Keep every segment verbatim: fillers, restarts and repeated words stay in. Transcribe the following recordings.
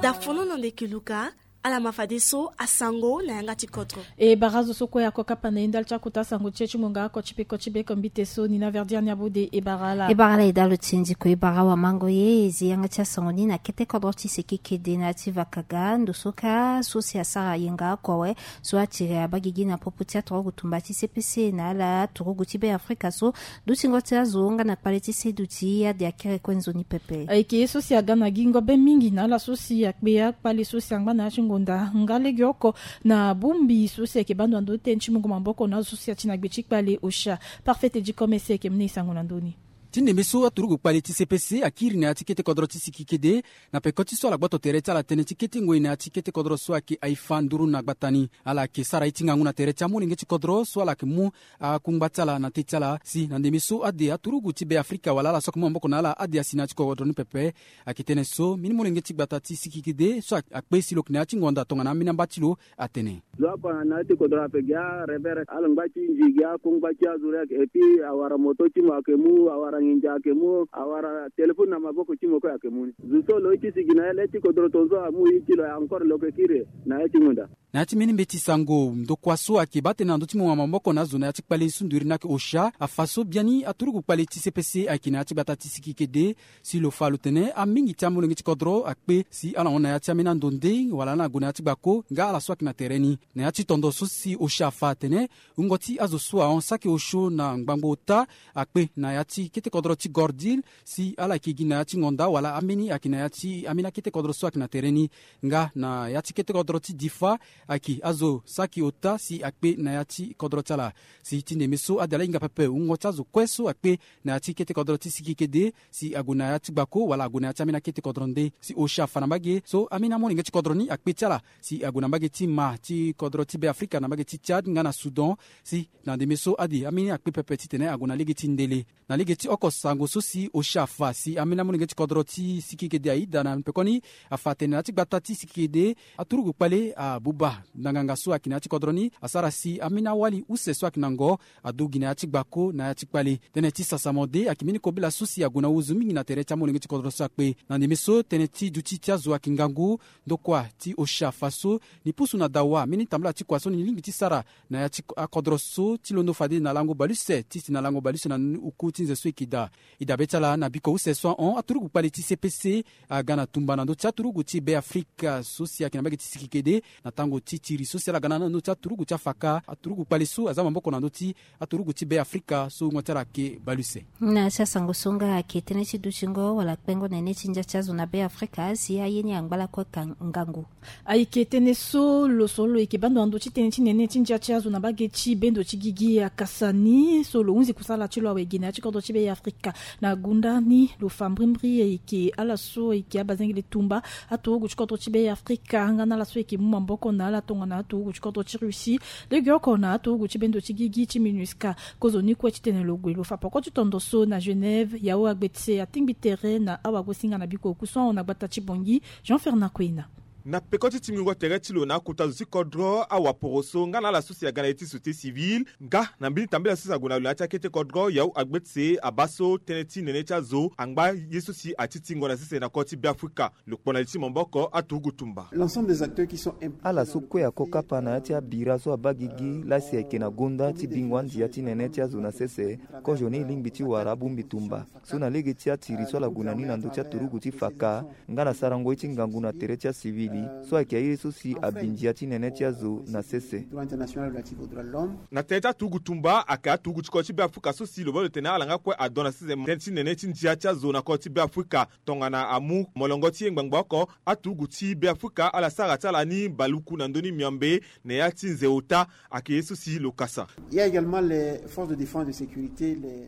Dafono na ndeke luka. Ala ma fadeso asango na yanga ti kodro. E bara azo so kue ako kapa na ye ndali ti akota asango ti e ti ngonga oko ti peko ti beko mbite so ni na verdiani abode e bara ala. E bara ala e dalo ti ndiko e bara awamango ye e zi yanga ti asango ni na kete kodro ti seki kede na ya ti vakaga ndo so ka so si asara yenga oko awe. So atiri abaa gigi na popo ti aturugu tumba ti cpc na ala aturugu ti be afrika so dutingo ti azo nga na kpale ti seduti ade akere kue nzoni pepe. Ayeke ye so si aga na gingo be mingi na ala so si akpe akpale so si angba na ya ti ngonda nga legeoko na bongbi so si ayeke baa ndo na ndö ti tënë ti mungo maboko na azo so si ati na gbe ti kpale osha. Parfait ti commerce ayeke mu na e sango na ndö ni. Ti ndembe so aturugu kpale ti cpc akiri na ya ti kete kodro ti siki kede na peko ti so ala gboto tere ti ala tënë ti kete ngoi na ya ti kete kodro so ayeke aifa nduru na gbata ni. Ala yeke sara ye ti ngangu na tere ti amolenge ti kodro so ala yeke mu akungba ti ala na te ti ala si na ndembe so ade aturugu ti be afrika wala ala so ayeke mu maboko na ala ade asi na ya ti kodro ni pepe. Ayeke tënë so mbeni molenge ti gbata ti siki kede so akpe si lo yeke na ya ti ngonda tongana ambeni amba ti lo atene. Zo oko na ya ti kodro ape gi arevere ala ngba ti nzi gi akungba ti azo re. Epui awara moto ti mo ayeke mu awara nginza ayeke mu awara telefone na maboko ti mo kue ayeke mu ni. Zo so lo ye ti sigi na ye le ti kodro tonzo amu ye ti lo encore lo yeke kiri na ye ti ngonda. Na ya ti mbeni mbeti sango ndokua so ayeke baa tënë na ndö ti mo wama maboko na azo na ya ti kpale sunduri ni ayeke osha afa so biani aturugu kpale ti cpc ayeke na ya ti gbata ti siki kede. Si lo fa lo tene amingi ti amolenge ti kodro akpe si ala hon na ya ti ambeni ando nde wala ala na gue na ya ti gbako nga ala so ayeke na tere ni. Na ya ti tondo so si osha afa atene wungo ti azo so ahon saki osho na ngbangbo ota akpe na ya ti kete kodro ti gordil si ala yeke gi na ya ti ngonda wala ambeni ayeke na ya ti ambeni akete kodro so ayeke na tere ni. Nga na ya ti kete kodro ti difa ayeke azo saki ota si akpe na ya ti kodro ti ala. Si ti ndembe so ade ala hinga pepe wungo ti azo kue so akpe na ya ti kete kodro ti siki kede si ague na ya ti gbako wala ague na ya ti ambeni akete kodro nde si osha afa na mbage ye so ambeni amolenge ti kodro ni akpe ti ala si ague na mbage ti ma ti kodro ti be afrika na mbage ti tchad nga na soudan. Si na ndembe so ade ambeni akpe pepe titene ague na lege ti ndele. Na lege ti oko sango so si osha afa si ambeni amolenge ti kodro ti siki kede aida na pekoni afa atene na ya ti gbata ti siki kede aturugu kpale abuba na nganga so ayeke na ya ti kodro ni asara si ambeni awali use so ayeke na ngo adu gi na ya ti gbako na ya ti kpale. Tënë ti sasamo de ayeke mbeni kobela so si ague na wuzu mingi na tere ti amolenge ti kodro so akpe na ndembe so tënë ti duti ti azo ayeke ngangu. Ndokua ti osha afa so ni pusu na dawa mbeni tambala ti kua so ni lingbi ti sara na ya ti akodro so ti londo fade na lango bale use ti si na lango bale use na oku ti nze so e yeke daa. E dabe ti ala na biko use so ahon aturugu kpale ti cpc aga na tumba na ndö ti aturugu ti be afrika so si ayeke na mbage ti siki kede na tango ti tiri so si ala ga na ndö ti aturugu ti afaka aturugu kpale so aza maboko na ndö ti aturugu ti be afrika so wungo ti ala ayeke bale use. Na ya ti asango so nga ayeke tënë ti dutingo wala kpengo nene ti ndia ti azo na be afrika si aye ni angba lakue ka ngangu. Ayeke tënë so lo so lo yeke baa ndo na ndö ti tënë ti nene ti ndia ti azo na mbage ti bendo ti gigi akasa ni so lo hunzi kusala ti lo awe gi na ya ti kodro ti be afrika. Na gunda ni lo fa mbrimbri ayeke ala so ayeke abazengele tumba aturugu ti kodro ti be afrika nga na ala so ayeke mu maboko na ala tongana aturugu ti kodro ti russie. Legeoko na aturugu ti bendo ti gigi ti minusca. Kozoni kue titene lo gue lo fa poko ti tondo so na genève yao agbe ti se atingbi tere na awagosinga na biko oku so ahon na gbata ti bongi. Jean fernand koina. Na peko ti tingbingo tere ti lo na akota zo ti kodro awaporo so nga na ala so si aga na ye ti société civile nga na mbeni tambela so si ague na lo na ya ti akete kodro yao agbe ti se abaa so tënë ti nene ti azo angba ye so si atitingo na sese na koro ti be afrika. Lo kpo na li ti maboko aturugu tumba. Ala so kue ako kapa na ya ti abira so abaa gigi lasi ayeke na gonda ti bingo andia ti nene ti azo na sese. Kozoni lingbi ti wara abongbi tumba so na lege ti atiri so ala gue na ni na ndö ti aturugu ti faka nga na sarango ye ti ngangu na tere ti asivili so ayeke aye so si abi ndia ti nene ti azo na sese. Na tënë ti aturugu tumba ayeke aturugu ti kodro ti be afrika so si lo baa lo tene ala nga kue adon na sese tënë ti nene ti ndia ti azo na kodro ti be afrika. Tongana amu molongo ti ye ngbangba oko aturugu ti be afrika ala sara ti ala ni baluku na ndö ni miombe na ya ti nze ota. Ayeke ye so si lo kasa.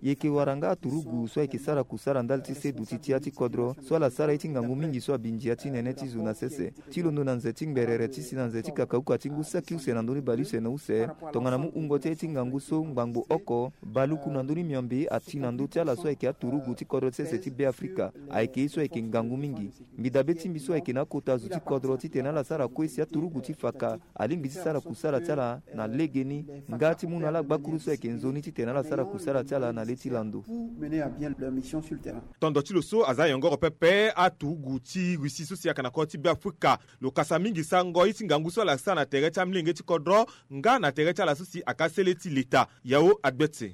Yeke wara nga aturugu so ayeke sara kusara ndali ti seduti ti ya ti kodro so ala sara ye ti ngangu mingi so abi ndia ti nene ti zo na sese. ti londo na nze ti ngberere ti si na nze ti kakauka ti ngu saki use na ndö ni baleuse na use. Tongana mu hungo ti aye ti ngangu so ngbangbo oko baluku na ndö ni miombe ati na ndö ti ala so ayeke aturugu ti kodro ti sese ti Beafrika. Ayeke ye so ayeke ngangu mingi. Mbi dabe ti mbi so ayeke na akota zo ti kodro titene ala sara kue si aturugu ti faka alingbi ti sara kusala ti ala na legeni nga ti mu na ala gbakuru so ayeke nzoni titene ala sara kusala ti ala na le ti lando. Tondo ti lo so aza yongoro pepe aturugu ti Russie so si ayaka na kodro ti Beafrika. Lo kasa mingi sango ye ti ngangu so ala sara na tere ti amilenge ti kodro nga na tere ti ala so si aka sele ti leta. Yao agbetse.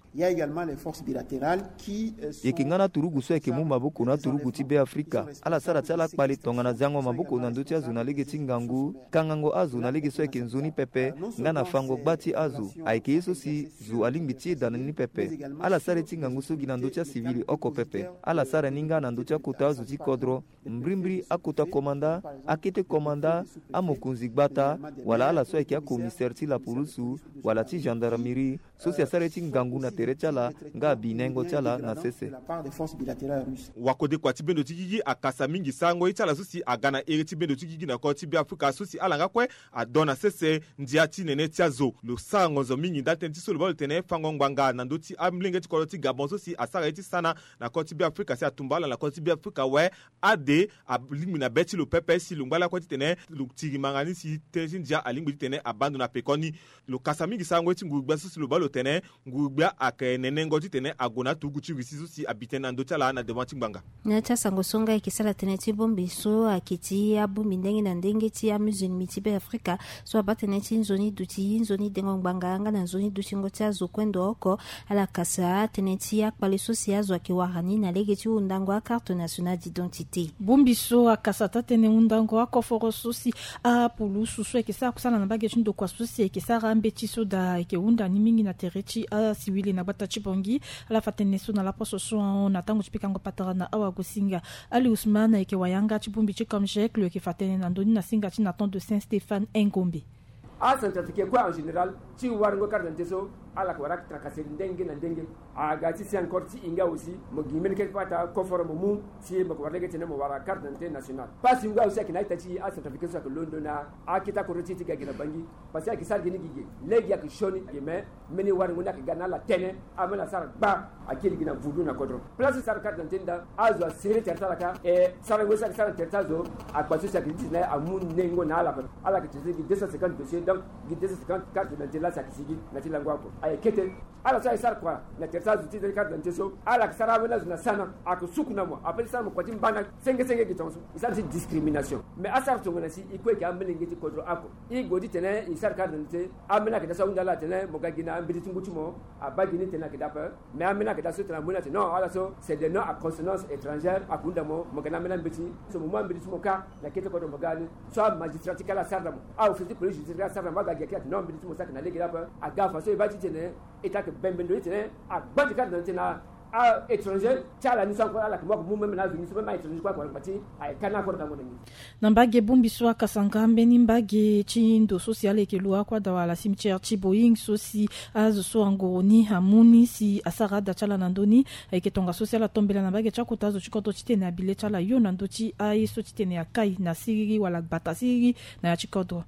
Yeke nga na aturugu so ayeke mu maboko na aturugu ti Beafrika. Ala sara ti ala kpale tongana ziango maboko na ndö ti azo na lege ti ngangu, kangango azo na lege so ayeke nzoni pepe, nga na fango gba ti azo. Ayeke ye so si zo alingbi ti yeda na ni pepe. Ala sara ye ti ngangu so gi na ndö ti asivili oko pepe. Ala sara ni nga na ndö ti akota azo ti kodro. Mbrimbri akota komanda, akete komanda, amokonzi gbata, wala ala so ayeke akomisere ti laporusu wala ti gendarmerie so si asara ye ti ngangu na tere ti ala nga abi nengo ti ala na sese. Wakodekua ti bendo ti gigi akasa mingi sarango ye ti ala so si aga na ere ti bendo ti gigi na kodro ti Beafrika so si ala nga kue adon na sese ndia ti nene ti azo. Lo sara ngonzo mingi ndali tënë ti so lo baa lo tene fango ngbanga na ndö ti amolenge ti kodro ti Gabon so si asara ye ti sana na kodro ti Beafrika si atumba ala na kodro ti Beafrika awe. Ade alingbi na be ti lo pepe si lo ngba lakue titene lo tiri manga ni si tënë ti ndia alingbi titene abaa ndo na pekoni. Lo kasa mingi sarango ye ti nguru-gbia so si lo baa lo tene nguru-gbia ayeke nenengo titene ague na aturugu ti Russie so si abi tënë na ndö ti ala na devant ti ngbanga. Na ya ti asango so nga ayeke sara tënë ti bongbi so ayeke ti abongbi ndenge na ndenge ti amusulmi ti Beafrika so abaa tënë ti nzoni duti nzoni dengo ngbanga nga na nzoni dutingo ti azo kue ndo oko. Ala kasa tënë ti akpale so si azo ayeke wara ni na lege ti hundango akarte nationale d'identité. Bongbi so akasa taa-tënë hundango akoforo so si apulusu so ayeke sara kusala na mbage ti ndokua so si ayeke sara mbeti so daa ayeke hunda ni mingi na tere ti asiwili na gbata ti Bangui. Ala fa tënë so na laposo so ahon na tango ti pikango patara na awagosinga. Ali Ousmane ayeke wayanga ti bongbi ti Comgec, lo yeke fa tënë na ndö ni na singa ti Nathan de Saint Stéphane Engombe. Acentrafricain kue en général ti warango carte d'identité so ala yeke wara tracasseri ndenge na ndenge. Aga ti si encore ti e nga aussi mo gi mbeni keke pata koforo mo mu si mo yeke wara lege titene mo wara carte d'identité nationale. Pasi nga aussi ayeke na a-ita ti e acentrafricain so ayeke londo na akete akodro ti e ti ga gi na Bangui. Parce que ayeke sara gi ni gigi lege ayeke sioni gi mais mbeni warango ni ayeke ga na ala tënë. Ambeni asara gba akiri gi na vulu na kodro. Place ti sara carte d'identité nda azo asere tere ti ala ka e sarango so ayeke sara na tere ti azo. Akpa so si ayeke ti titene amu nengo na ala pepe. Ala yeke titene gi deux cent cinquante dossier donc gi deux cent cinquante carte d'identité la si ayeke sigi na ti lango oko aye kete. Ala so aye sara kua na tere ti azo ti tene carte d'identité so ala yeke sara ambeni azo na sana ayeke suku na mo ape ti sara mo kua ti mbana. Senge senge gi tongaso e sara ti discrimination. Mais asara tongana si e kue ayeke ambeni lenge ti kodro oko. E gue ti tene e sara carte d'identité ambeni ayeke daa so ahunda ala atene mo ga gi na ambeti ti ngu ti mo. Abaa gi ni tene ayeke daa ape. Mais ambeni ayeke daa so tene amu ni atene non ala so c'est des noms à consonance étrangère. Ayeke hunda mo mo ga na ambeni ambeti so mo mu ambeti ti mo ka na kete kodro mo ga ni. So amagistrat ti ka ala asara na mo, aofficier ti police judiciaire ka asara na mo aga gi ayeke daa atene non ambeti ti mo so ayeke na lege daa ape. Aga façon e baa ti tene e ta yeke bembe ndo ti tene agba ti carte d'identité na a-étranger ti ala ni so encore ala yeke mu oko mu même na azo ni so même a-étranger kue ayeke wara ngba ti aye ka ni akoro dango na ni. Na mbage bongbi so akasanga mbeni mbage ti ndo so si ala yeke lu akua dawala cimetière ti Boeing so si azo so angoro ni amu ni si asara ada ti ala na ndö ni. Ayeke tongaso si ala tombela na mbage ti akota azo ti kodro titene abi le ti ala yo na ndö ti aye so titene akai na siriri wala gbata siriri na ya ti kodro.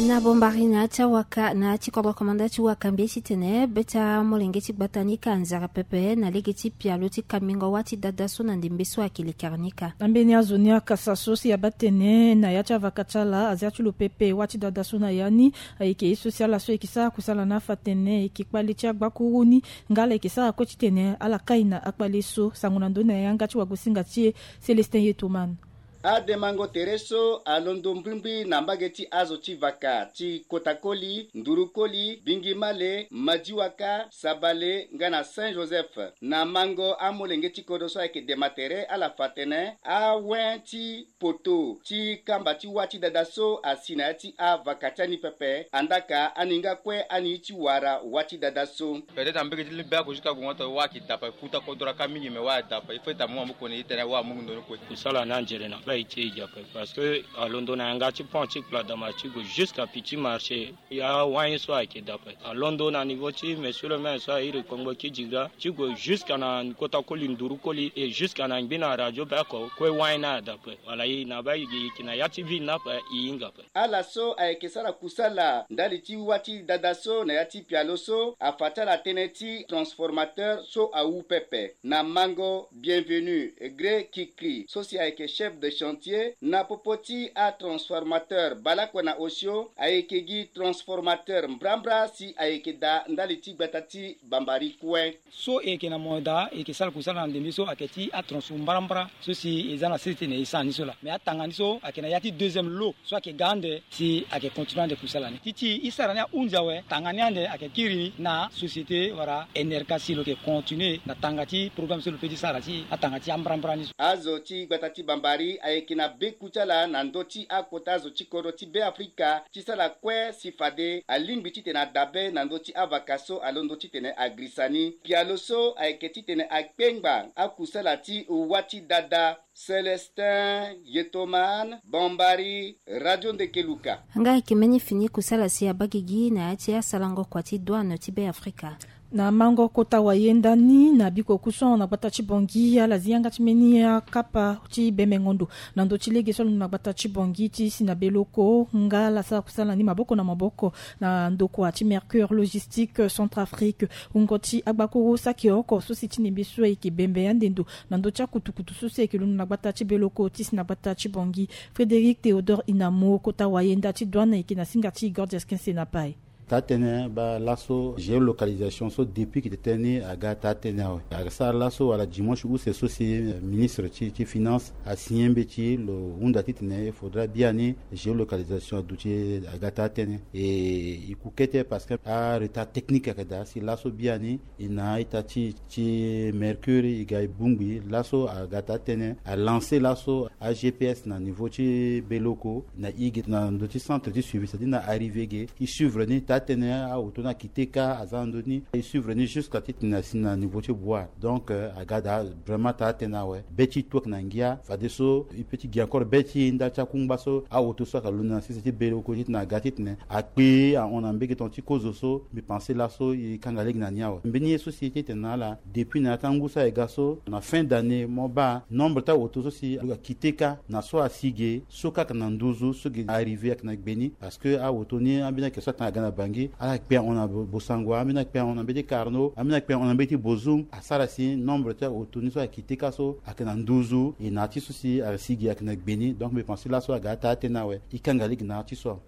Na bombari na ya ti awaka na ya ti kodro komanda ti waka mbi ye titene be ti amolenge ti gbata ni ka anzere pepe na lege ti pialo ti kambingo wâ ti dada so na ndembe so ayeke lekere ni ka. Na mbeni azo ni akasa so si abaa tene na ya ti avaka ti ala azia ti lo pepe wâ ti dada so na ya ni. Ayeke ye so si ala so ayeke sara kusala na afa tene ayeke kpale ti agbakuru ni. Nga ala yeke sara kue titene ala kai na akpale so sango na ndö ni na yanga ti wagosinga ti e. Célestin Yetoman. Ademango tere so alondo mbrimbri na mbage ti azo ti vaka ti Kotakoli, Ndurukoli, Bingimale, Madiwaka, Sabale nga na Saint Joseph. Na mango amolenge ti kodro so ayeke dema tere ala fa tene awen ti poto ti kamba ti wâ ti dada so asi na ya ti avaka ti ani pepe. Andaka ani nga kue ani ti wara wâ ti dada so. Peut-être na mbege ti limbia ko jusqu'à gongo to wa ki dapa kuta ko dora ka mingi me wa dapa il faut ta mo mo ko ni tene wa mo ndo ko. Sala na njere na. Aye ti e zi ape parce que alondo na yanga ti pont ti kpladama ti gue jusqu'à petit marché. Ya wani so ayeke daa ape, alondo na niveau ti monsieur le maire so airi kongbo kidira ti gue jusqu'à na kota koli nduru koli et jusqu'à na ngbi na radio bako kue wani na daa ape. Wala e na baa e yeke na ya ti ville ni ape, e hinga ape. Ala so ayeke sara kusala ndali ti wâ ti dada so na ya ti pialo so afa ti ala tënë ti transformateur so awu pepe. Na mango Bienvenu Gre Kikri so si ayeke chef de chantier na popo ti atransformateur baleoko na osio, ayeke gi transformateur mbrambra si ayeke daa ndali ti gbata ti Bambari kue. So e yeke na mo daa e yeke sara kusala na ndembe so ayeke ti atransport mbarambara so si e za na sese titene e sara ni so laa. Mais atanga ni so ayeke na ya ti deuxième lot so ayeke ga ande si ayeke continue ande kusala ni. Ti ti e sara ni ahunzi awe, tanga ni ande ayeke kiri na société wala N R K si lo yeke continue na tanga ti programme so lo peut ti sara ti atanga ti ambarambara ni so. Azo ti gbata ti Bambari ayeke na beku ti ala na ndö ti akota zo ti kodro ti Beafrika ti sara kue si fade alingbi titene adabe na ndö ti avaka so alondo titene agirisa ni. Pialo so ayeke titene akpengba akusala ti wâ ti dada. Célestin Yetoman, Bambari, Radio Ndekeluka. Nga ayeke mbeni fini kusala si abaa gigi na ya ti asarango kua ti douane ti Beafrika. Na mango kota wayenda ni na biko kuson na gbata ti Bangui, ala zi yanga ti mbeni akapa ti bembengo-ndo na ndö ti lege so alondo na gbata ti Bangui ti si na Beloko, nga ala sara kusala ni maboko na maboko na ndokua ti Mercure Logistique Centrafrique. Wungo ti agbakuru saki oko so si ti nembe so ayeke bembe ande ndo na ndö ti akutukutu so si ayeke londo na gbata ti Beloko ti si na gbata ti Bangui. Frédéric Théodore Inamo, kota wayenda ti douane, ayeke na singa ti Gordias Kensé na pai. Taa-tënë baa laso géolocalisation so depuis ki tene ni aga taa-tënë awe. Aga sara laso wala dimanche use so si, eh, ministre ti, ti finance asigné mbeti lo hunda titene il faudra biani géolocalisation aduti aga taa-tënë. E, e ku kete parce que aretard technique ayeke daa si laso biani e na a-ita ti, ti Mercure e ga e bongbi laso aga taa-tënë, alancer laso a-G P S na niveau ti Beloko na e ge na ndö ti centre ti suivi, c'est-à-dire na arrivé ge e suivre ni taa-tënë, aoto ni akite kâ aza na ndö ni e suivre ni jusqu'à titene asi na niveau ti Bouar. Donc, euh, aga daa vraiment taa-tënë awe. Be ti e tu ayeke na ngia, fadeso e peut ti gi encore be ti e ndali ti akungba so aoto so ayeke londo na sese ti Beloko titene aga titene akpe ahon na mbege tongana ti kozo so. Mbi pense laso e kanga lege na ni awe. Mbeni ye so si e tene na ala depuis na ya ti angu so aye ga so na fin d'année mo baa nombre ti aoto so si akite kâ na so asi ge so kâ ayeke na nduzu so ge arrivé ayeke na gbe ni. Parce que aoto ni ambeni ayeke so atanga aga na Bangui, ala kpe ahon na Bo-, Bossangoa, ambeni akpe ahon na mbeti Carnot, ambeni akpe ahon na mbeti Bozoum. Asara si nombre ti aoto ni so ayeke kite kâ so ayeke na nduzu, e na ya ti so si asi ge ayeke na gbe ni. Donc mbi pense laso aga taa-tënë awe. E kanga lege na ya ti so.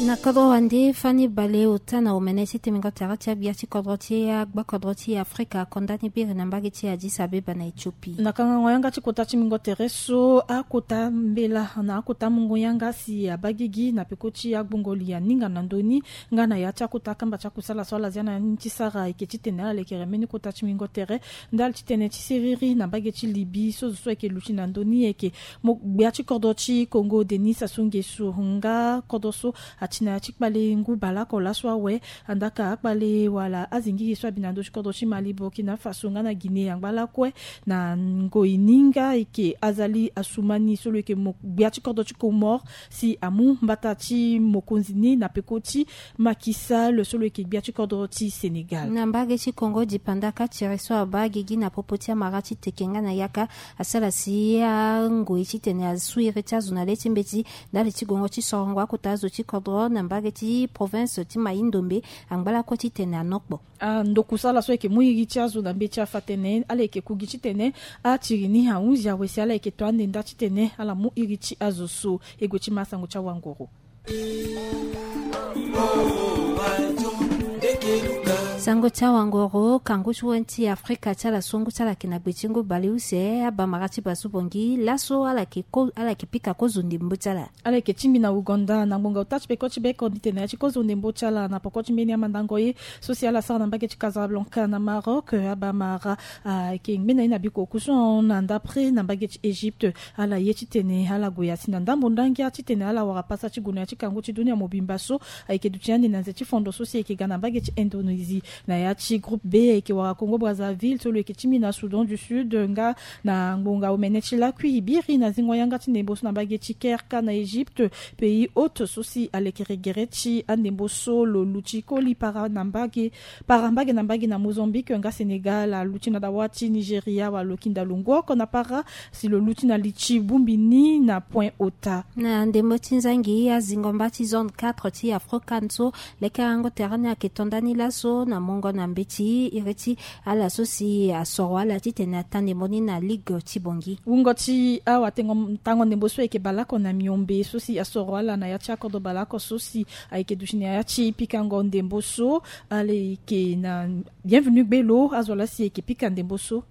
Na kodro wande fani bale ota na omene ti temingo tere ti agbia ti kodro ti agbakodro ti Afrika akonda ni biri na mbage ti Addis Abeba na Éthiopie. Na kangango yanga ti kota ti mingo tere so akota mbela na akota mungo yanga si abaa gigi na peko ti agbongo li aninga na ndö ni nga na ya ti akota kamba ti akusala so ala zia na ni ti sara ayeke titene ala lekere mbeni kota ti mingo tere ndali titene ti siriri na mbage ti Libye so zo so ayeke luti na ndö ni ayeke mo gbia ti kodro ti Congo Denis Sassou Nguesso nga kodro so ati na ya ti kpale ngu baleoko laso awe. Andaka akpale wala azingiri so abi na ndö ti kodro ti Mali, Burkina Faso nga na Guinée angba lakue na ngoi ni nga ayeke Azali Assoumani so lo yeke mo gbia ti kodro ti Comores si amu mbata ti mokonzi ni na peko ti Macky Sall so lo yeke gbia ti kodro ti Sénégal. Na mbage ti Congo dipanda ka tere so abaa gigi na popo ti amara ti teke nga na yaka asara si angoi titene asu iri ti azo na le ti mbeti ndali ti gongo ti sorongo akota azo ti kodro na mbage ti province ti Maï-Ndombe angba lakue titene anokpo. Ah, ndokusala so ayeke mu iri ti azo na mbeti afa tene ala yeke ku gi titene atiri ni ahunzi awe si ala yeke to ande nda titene ala mu iri ti azo so. E gue ti ma sango ti awangoro. Sango ti awangoro, kangu ti wen ti Afrika ti ala so ngu ti ala ayeke na gbe ti ngu baleuse abamara ti basu bongi laso ala yeke ko, ala yeke pika kozo ndembo ti ala. Ala yeke tingbi na Ouganda na ngbonga ota ti peko ti beko ni tene ya ti kozo ndembo ti ala na poko ti mbeni amandango ye so si ala sara na mbage ti Casablanca na Maroc. Abamara ayeke ngbene ye na biko kusu na ndapre na mbage ti Égypte. Ala ye titene ala gue ya si na ndambo ndangia titene ala wara pasa ti gue na ya ti kangu ti dunia mobimba so ayeke duti ande na nze ti fondo so si ayeke ga na mbage ti Indonésie. Na ya ti groupe B ayeke wara Congo Brazzaville so lo yeke ti mbi na Soudan du Sud nga na ngbonga omene ti lakui biri na zingo yanga ti ndembo so na mbage ti Kerka na Egypte. Pays hôte so si alekere gere ti andembo so lo luti koli para na mbage para mbage na mbage na Mozambique nga Sénégal aluti na dawa ti Nigeria wala lo kinda longoko na para si lo luti na li ti bongbi ni na point ota. Na ndembo ti nzangi azingo mba ti zone quatre ti Afrocan so lekerengo tere ni ayeke to nda ni laso na mongo na mbeti iri ti ala so si asoro ala titene ata ndembo ni na ligue ti Bangui. Wungo ti awa tengo tango ndembo so ayeke baleoko na miombe so si asoro ala na ya ti akodro baleoko so si ayeke duti na ya ti pikango ndembo so. Ala yeke na bienvenu gbelo azo laa si ayeke pika ndembo so.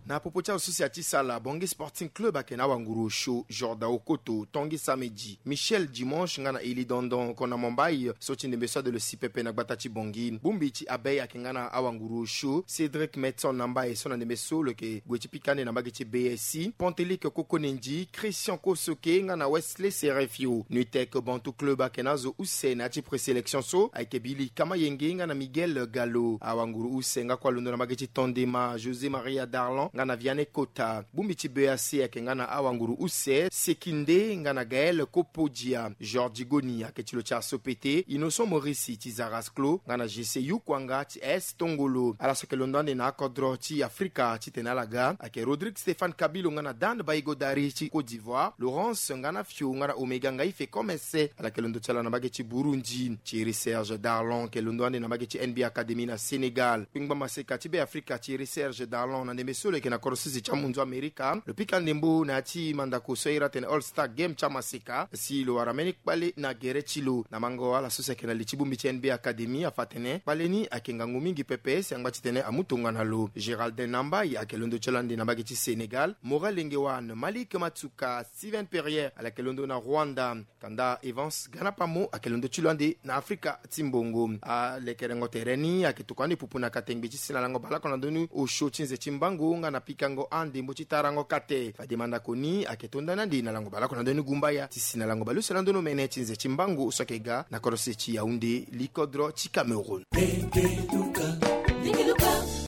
Na popo ti azo so si ati sala Bangui Sporting Club ayeke na awanguru osio Jordan Okoto, Tanguy Samedi, Michel Dimanche nga na Eli Dondon, kona Mombai so ti ndembe so ade lo si pepe na gbata ti Bangui. Bongbi ti Abeille ayeke nga na awanguru osio Cédric Metson na mbai so na ndembe so lo yeke gue ti pika ande na mbage ti B S I, Pantelique Kokonendi, Christian Kosoke nga na Wesley Serefio. Nuitec Bantu Club ayeke na azo use na ya ti présélection so ayeke Billy Kamayenge nga na Miguel Gallo. Awanguru use nga kue alondo na mbage ti Tondema, José Maria Darlan nga na Vianney Kota. Bongbi ti B A C ayeke nga na awanguru use Sekinde nga na Gaël Kopodia. George Goni ayeke ti lo ti Asopete, Innocent Maurice ti Zarasclo nga na G C Yukwanga ti S Tongolo. Ala so ayeke londo ande na akodro ti Afrika titene ala ga ayeke Rodrigue Stéphane Kabilo nga na Dan Baigodari ti Côte d'Ivoire, Laurence Nganafio nga na Omega Ngaife Komese, ala yeke londo ti ala na mbage ti Burundi. Thierry Serge Darlan ayeke londo ande na mbage ti N B A Academy na Sénégal. Kpengba maseka ti Beafrika Thierry Serge Darlan na ndembe so lo yeke na kodro sese ti amunzu Amerika, lo pika ndembo na ya ti mandako so ahiri atene All Star Game ti amaseka si lo wara mbeni kpale na gere ti lo. Na mango ala so si ayeke na li ti bongbi ti N B A Academy afa atene kpale ni ayeke ngangu mingi pepe si angba titene amu tongana lo. Géraldin Nambai ayeke londo ti lo ande na mbage ti Sénégal, Maurel Lengewan, Malik Matsuka, Steven Perrier ala yeke londo na Rwanda. Kanda Evans Ganapamo ayeke londo ti lo ande na Afrika ti mbongo. Alekerengo tere ni ayeke tokua ande pupu na katengbe ti si na lango baleoko na ndö ni osio ti nze ti mbango nga na pikango andembo ti tarango kate. Fade mandako ni ayeke to nda ni ande na lango baleoko na ndö ni gumbaya ti si na lango baleuse na ndö ni omene ti nze ti mbango so ayeke ga na kodro sese ti Yaoundé, likodro ti Cameroun.